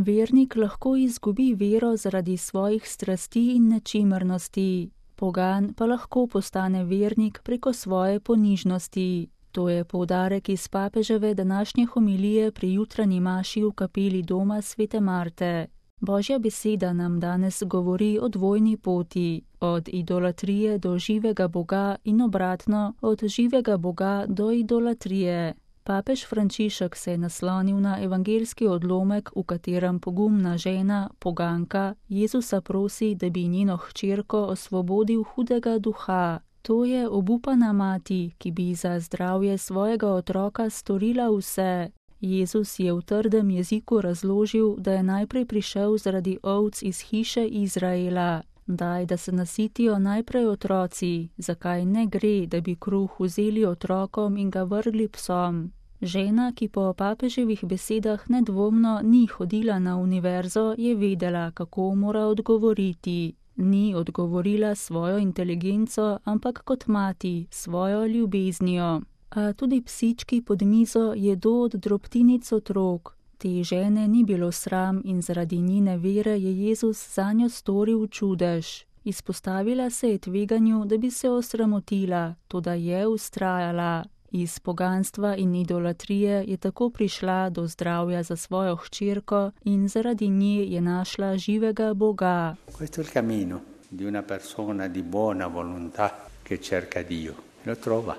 Vernik lahko izgubi vero zaradi svojih strasti in nečimrnosti. Pogan pa lahko postane vernik preko svoje ponižnosti. To je poudarek iz papeževe današnje homilije pri jutranji maši v kapeli doma svete Marte. Božja beseda nam danes govori o dvojni poti, od idolatrije do živega Boga in obratno, od živega Boga do idolatrije. Papež Frančišek se je naslonil na evangeljski odlomek, v katerem pogumna žena, poganka, Jezusa prosi, da bi njeno hčerko osvobodil hudega duha. To je obupana mati, ki bi za zdravje svojega otroka storila vse. Jezus je v trdem jeziku razložil, da je najprej prišel zaradi ovc iz hiše Izraela. Daj, da se nasitijo najprej otroci, zakaj ne gre, da bi kruh vzeli otrokom in ga vrgli psom. Žena, ki po papeževih besedah nedvomno ni hodila na univerzo, je vedela, kako mora odgovoriti. Ni odgovorila svojo inteligenco, ampak kot mati, svojo ljubeznijo. A tudi psički pod mizo jedo od drobtinic otrok. Te žene ni bilo sram in zaradi njene vere je Jezus zanjo storil čudež. Izpostavila se je tveganju, da bi se osramotila, toda je vztrajala. Iz poganstva in idolatrije je tako prišla do zdravja za svojo hčerko in zaradi nje je našla živega Boga. Questo è il cammino di una persona di buona volontà che cerca Dio. Lo trova.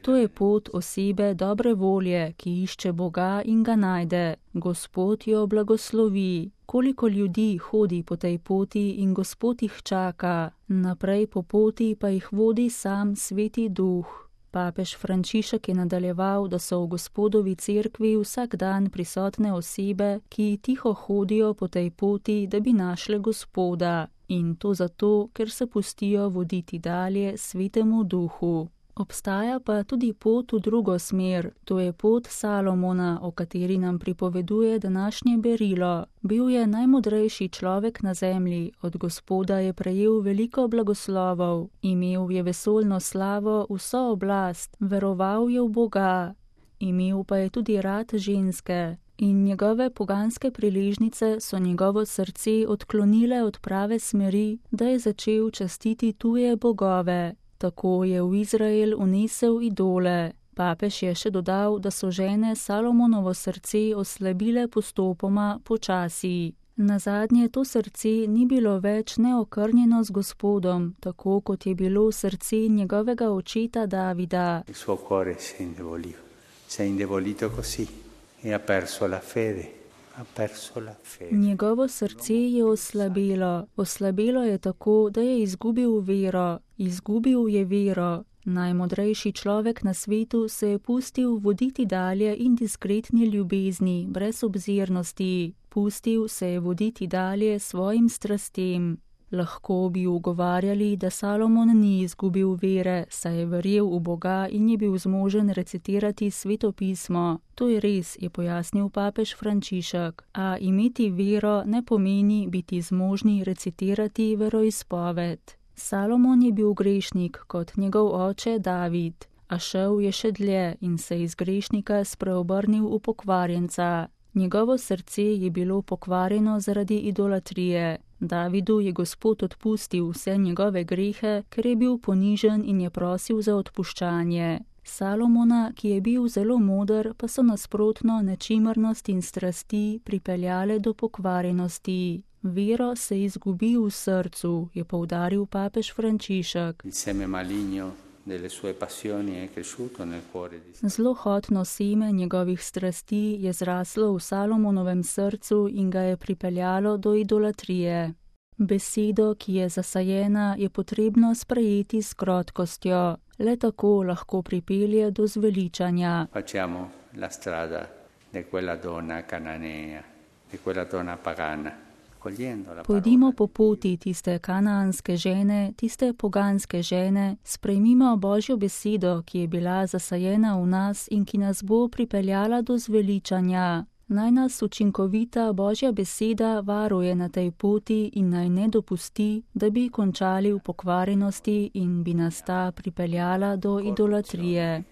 To je pot osebe dobre volje, ki išče Boga in ga najde. Gospod jo blagoslovi. Koliko ljudi hodi po tej poti in Gospod jih čaka. Naprej po poti pa jih vodi sam Sveti Duh. Papež Frančišek je nadaljeval, da so v Gospodovi cerkvi vsak dan prisotne osebe, ki tiho hodijo po tej poti, da bi našle Gospoda. In to zato, ker se pustijo voditi dalje Svetemu Duhu. Obstaja pa tudi pot v drugo smer, to je pot Salomona, o kateri nam pripoveduje današnje berilo. Bil je najmodrejši človek na zemlji, od Gospoda je prejel veliko blagoslovov, imel je vesoljno slavo, vso oblast, veroval je v Boga. Imel pa je tudi rad ženske in njegove poganske priležnice so njegovo srce odklonile od prave smeri, da je začel častiti tuje bogove. Tako je v Izrael unesel idole. Papež je še dodal, da so žene Salomonovo srce oslabile postopoma počasi. Nazadnje to srce ni bilo več neokrnjeno z Gospodom, tako kot je bilo srce njegovega očeta Davida. Il suo cuore si è indebolito così e ha perso la fede. Njegovo srce je oslabelo je tako, da je izgubil je vero. Najmodrejši človek na svetu se je pustil voditi dalje in diskretni ljubezni, brez obzirnosti. Pustil se je voditi dalje svojim strastem. Lahko bi ugovarjali, da Salomon ni izgubil vere, saj je verjel v Boga in je bil zmožen recitirati Sveto pismo. To je res, je pojasnil papež Frančišek. A imeti vero ne pomeni biti zmožni recitirati veroizpoved. Salomon je bil grešnik kot njegov oče David, a šel je še dlje in se iz grešnika spreobrnil v pokvarjenca. Njegovo srce je bilo pokvarjeno zaradi idolatrije. Davidu je Gospod odpustil vse njegove grehe, ker je bil ponižen in je prosil za odpuščanje. Salomona, ki je bil zelo moder, pa so nasprotno nečimrnost in strasti pripeljale do pokvarjenosti. Vero se izgubi v srcu, je poudaril papež Frančišek. Zlohotno seme njegovih strasti je zraslo v Salomonovem srcu in ga je pripeljalo do idolatrije. Besedo, ki je zasajena, je potrebno sprejeti s krotkostjo. Le tako lahko pripelje do zveličanja. Facciamo la strada di quella donna cananea, di quella donna pagana. Pojdimo po poti tiste kanaanske žene, tiste poganske žene, sprejmimo Božjo besedo, ki je bila zasajena v nas in ki nas bo pripeljala do zveličanja. Naj nas učinkovita Božja beseda varuje na tej poti in naj ne dopusti, da bi končali v pokvarjenosti in bi nas ta pripeljala do idolatrije.